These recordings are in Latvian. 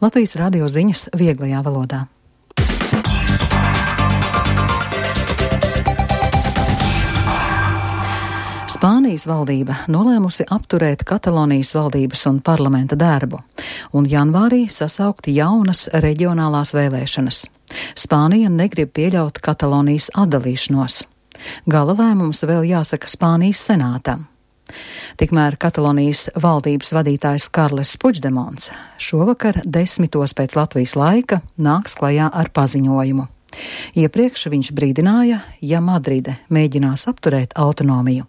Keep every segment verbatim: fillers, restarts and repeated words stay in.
Latvijas radio ziņas vieglajā valodā. Spānijas valdība nolēmusi apturēt Katalonijas valdības un parlamenta darbu, un janvārī sasaukt jaunas reģionālās vēlēšanas. Spānija negrib pieļaut Katalonijas atdalīšanos. Gala lēmums vēl jāsaka Spānijas senātam. Tikmēr Katalonijas valdības vadītājs Karles Puigdemons šovakar desmitos pēc Latvijas laika nāks klajā ar paziņojumu. Iepriekš viņš brīdināja, ja Madride mēģinās apturēt autonomiju,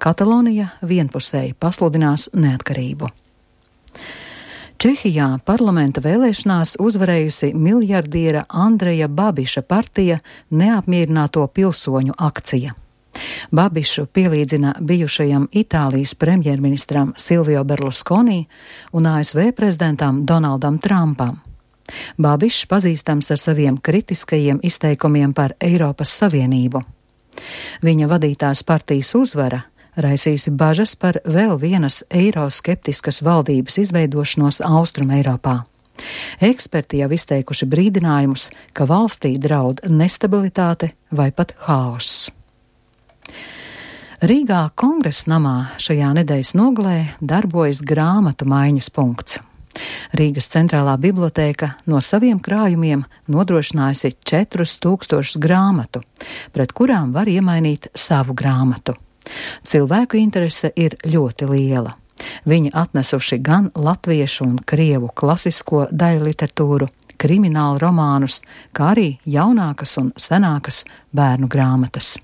Katalonija vienpusēji pasludinās neatkarību. Čehijā parlamenta vēlēšanās uzvarējusi miljardiera Andreja Babiša partija Neapmierināto pilsoņu akcija. Babišu pielīdzina bijušajam Itālijas premjerministram Silvio Berlusconi un A S V prezidentam Donaldam Trumpam. Babišs pazīstams ar saviem kritiskajiem izteikumiem par Eiropas Savienību. Viņa vadītās partijas uzvara raisījusi bažas par vēl vienas eiroskeptiskas valdības izveidošanos Austrum Eiropā. Eksperti jau izteikuši brīdinājumus, ka valstī draud nestabilitāte vai pat haoss. Rīgā Kongresa namā šajā nedēļas nogalē darbojas grāmatu maiņas punkts. Rīgas centrālā bibliotēka no saviem krājumiem nodrošinājusi četrus tūkstošus grāmatu, pret kurām var iemainīt savu grāmatu. Cilvēku interese ir ļoti liela. Viņi atnesuši gan latviešu un krievu klasisko daļu literatūru, kriminālu romānus, kā arī jaunākas un senākas bērnu grāmatas.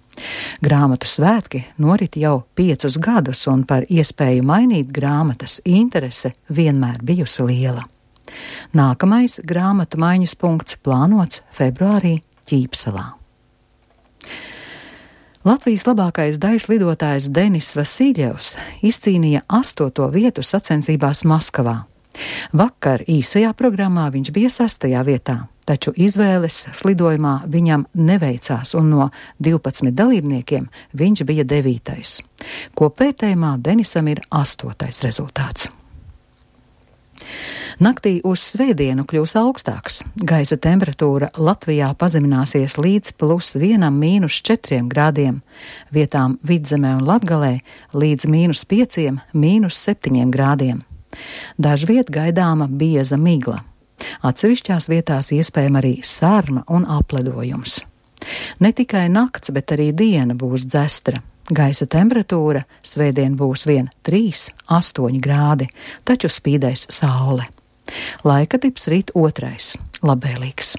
Grāmatu svētki norit jau piecus gadus, un par iespēju mainīt grāmatas interese vienmēr bijusi liela. Nākamais grāmatu maiņas punkts plānots februārī Ķīpsalā. Latvijas labākais daļas lidotājs Denis Vasiljevs izcīnīja astoto vietu sacensībās Maskavā. Vakar īsajā programmā viņš bija sastajā vietā, taču izvēles slidojumā viņam neveicās, un no divpadsmit dalībniekiem viņš bija devītais. Kopvērtējumā Denisam ir astotais rezultāts. Naktī uz svētdienu kļūs augstāks. Gaisa temperatūra Latvijā pazemināsies līdz plus vienam mīnus četriem grādiem, vietām Vidzemē un Latgalē līdz mīnus pieciem, mīnus septiņiem grādiem. Dažviet gaidāma bieza migla. Atsevišķās vietās iespējama arī sārma un apledojums. Ne tikai nakts, bet arī diena būs dzestra. Gaisa temperatūra svētdien būs vien trīs, astoņi grādi, taču spīdēs saule. Laika tips rīt otrais, labvēlīgs.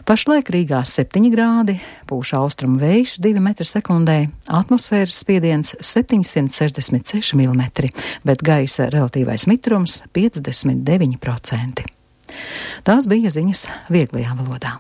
Pašlaik Rīgā septiņi grādi, pūš austrumu vējš divi metri sekundē, atmosfēras spiediens septiņsimt sešdesmit seši milimetri, bet gaisa relatīvais mitrums piecdesmit deviņi procenti. Tās bija ziņas vieglajā valodā.